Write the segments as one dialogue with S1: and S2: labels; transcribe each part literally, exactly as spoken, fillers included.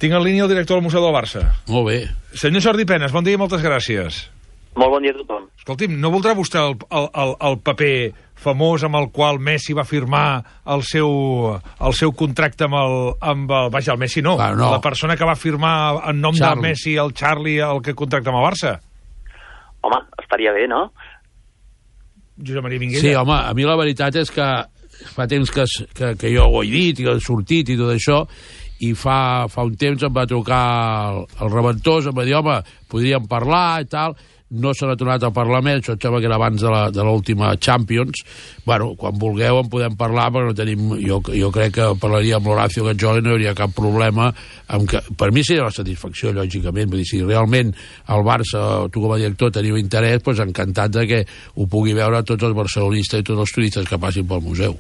S1: Tinc en línia el director del Museu del Barça.
S2: Molt bé.
S1: Senyor Jordi Penes, bon dia i moltes gràcies.
S3: Molt bon dia a tothom.
S1: Escolti'm, no voldrà vostè el, el, el, el paper famós amb el qual Messi va firmar el seu, el seu contracte amb el... Amb el vaja, el Messi no,
S2: ah, no.
S1: La persona que va firmar en nom
S2: Charlie.
S1: del Messi, el Charlie, el que contracta amb el Barça?
S3: Home, estaria bé, no?
S1: Josep Maria Minguella.
S2: Sí, home, a mi la veritat és que fa temps que, que, que jo ho he dit i he sortit i tot això, i fa, fa un temps em va trucar el, el Reventós, em va dir, home, podríem parlar i tal. No se n'ha tornat a parlar més, això em sembla que era abans de l'última Champions. Bueno, quan vulgueu en podem parlar, però no tenim... Jo, jo crec que parlaria amb l'Horacio Gajoli, no hi hauria cap problema. Amb que, per mi seria una satisfacció, lògicament. Vull dir, si realment el Barça, tu com a director, teniu interès, doncs encantat de que ho pugui veure tots els barcelonistes i tots els turistes que passin pel museu.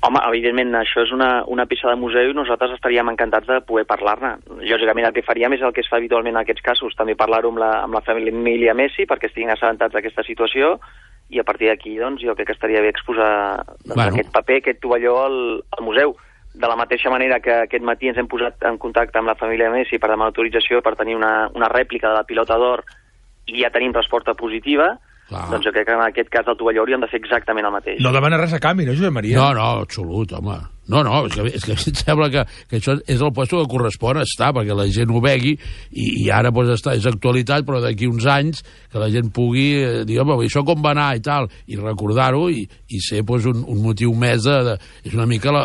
S3: Home, evidentment, això és una, una peça de museu i nosaltres estaríem encantats de poder parlar-ne. Lògicament, el que faríem és el que es fa habitualment en aquests casos, també parlar-ho amb, la, amb la família Messi perquè estiguin assabentats d'aquesta situació i a partir d'aquí, doncs, jo crec que estaria bé exposar doncs, bueno. aquest paper, aquest tovalló al, al museu. De la mateixa manera que aquest matí ens hem posat en contacte amb la família Messi per demanar autorització per tenir una, una rèplica de la pilota d'or i ja tenim resposta positiva. Clar. Doncs jo crec que en aquest cas del tovalló hauríem de fer exactament el mateix.
S1: No demana res a canvi, no, Josep Maria?
S2: No, no, absolut, home. No, no, és que, és que em sembla que, que això és el lloc que correspon estar, perquè la gent ho vegui, i, i ara pues, està, és actualitat, però d'aquí uns anys que la gent pugui eh, dir, home, això com va anar i tal, i recordar-ho, i, i ser pues, un, un motiu més de, de... És una mica la,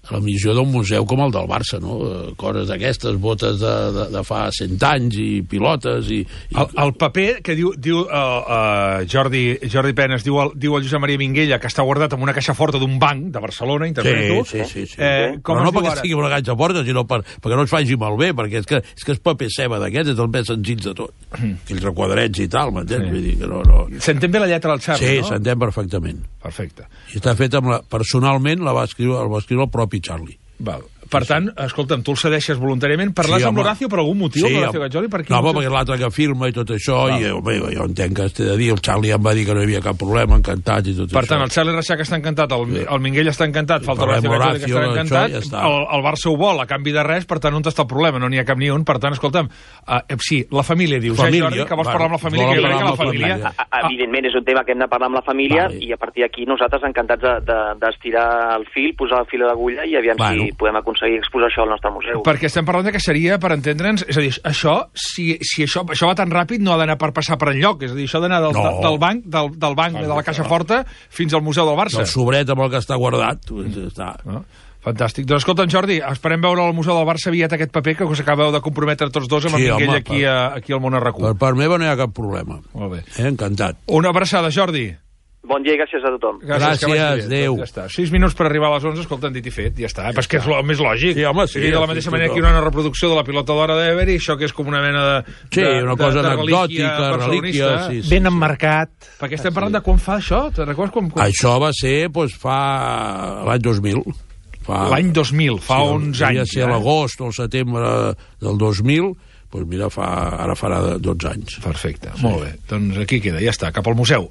S2: la missió d'un museu com el del Barça, no? Coses d'aquestes, botes de, de, de fa cent anys, i pilotes, i... i...
S1: El, el paper que diu, diu uh, uh, Jordi, Jordi Penes, diu el, diu el Josep Maria Minguella, que està guardat en una caixa forta d'un banc de Barcelona, interpreto.
S2: Sí, sí, sí. sí.
S1: Eh,
S2: però no perquè estigui una caixa forta, sinó per, perquè no es faci malbé, perquè és que és, que és paper ceba d'aquests, és el més senzill de tot. Mm. Aquells requadrets i tal, m'entens? Sí. Vull dir que no, no...
S1: S'entén bé la lletra del Charlie,
S2: sí,
S1: no?
S2: Sí, s'entén perfectament.
S1: Perfecte.
S2: I està fet amb la... Personalment la va escriure, el va escriure el propi Charlie.
S1: Val. Per tant, escolta'm, tu el cedeixes voluntàriament. Parles sí, amb l'Horacio per algun motiu, sí, l'Horacio Gajoli? Per
S2: no, home, perquè l'altre que firma i tot això, val. I home, jo entenc que es té de dir, el Charlie em va dir que no hi havia cap problema, encantat i tot
S1: per això. Per tant, el Charlie Reixac està encantat, el, sí. el Minguell està encantat, falta l'Horacio Gajoli que està encantat, ja està. el, el Barça ho vol a canvi de res, per tant, on està el problema? No n'hi ha cap ni un, per tant, escolta'm, uh, sí, la família, dius, família, eh, Jordi, que vols bueno, parlar amb la família, que jo crec que la família...
S3: família. A, a, evidentment, és un tema que hem de parlar amb la família, vale. I a partir d'aquí nosaltres encantats d'estirar de, de, el fil, posar el fil a l'agulla i aviam bueno. si podem aconseguir exposar això al nostre museu.
S1: Perquè estem parlant de que seria, per entendre'ns, és a dir, això, si, si això, això va tan ràpid, no ha d'anar per passar per enlloc, és a dir, això ha d'anar del, no. del banc, del, del banc de la Caixa Forta fins al Museu del Barça.
S2: El sobret amb el que està guardat. Doncs està.
S1: No? Fantàstic. Doncs escolta'm, Jordi, esperem veure al Museu del Barça aviat aquest paper que us acabeu de comprometre tots dos amb sí, el Minguell aquí, per, aquí al Món Arracú.
S2: Per part meva no hi ha cap problema.
S1: Molt bé.
S2: Eh, encantat.
S1: Una abraçada, Jordi.
S3: Bon dia i gràcies a tothom.
S2: Gràcies, gràcies adéu.
S1: Ja està. Sis minuts per arribar a les onze, escolta, han dit i fet, ja està. Ja Però és que és el més lògic.
S2: Sí, home, sí.
S1: I de la mateixa sí, manera que hi ha una reproducció de la pilota d'hora d'Ever i això que és com una mena de...
S2: Sí,
S1: de,
S2: una cosa
S1: de, de
S2: anecdòtica, relíquia... Sí, sí,
S4: ben emmarcat.
S1: Sí. Perquè estem parlant sí. de quan fa això? Te'n recordes quan... quan...
S2: Això va ser, doncs, fa l'any dos mil. Fa...
S1: L'any dos mil, fa sí, onze anys.
S2: Devia ser eh? l'agost o el setembre del dos mil, doncs mira, fa, ara farà dotze anys.
S1: Perfecte, sí. Molt bé. Doncs aquí queda, ja està, cap al museu.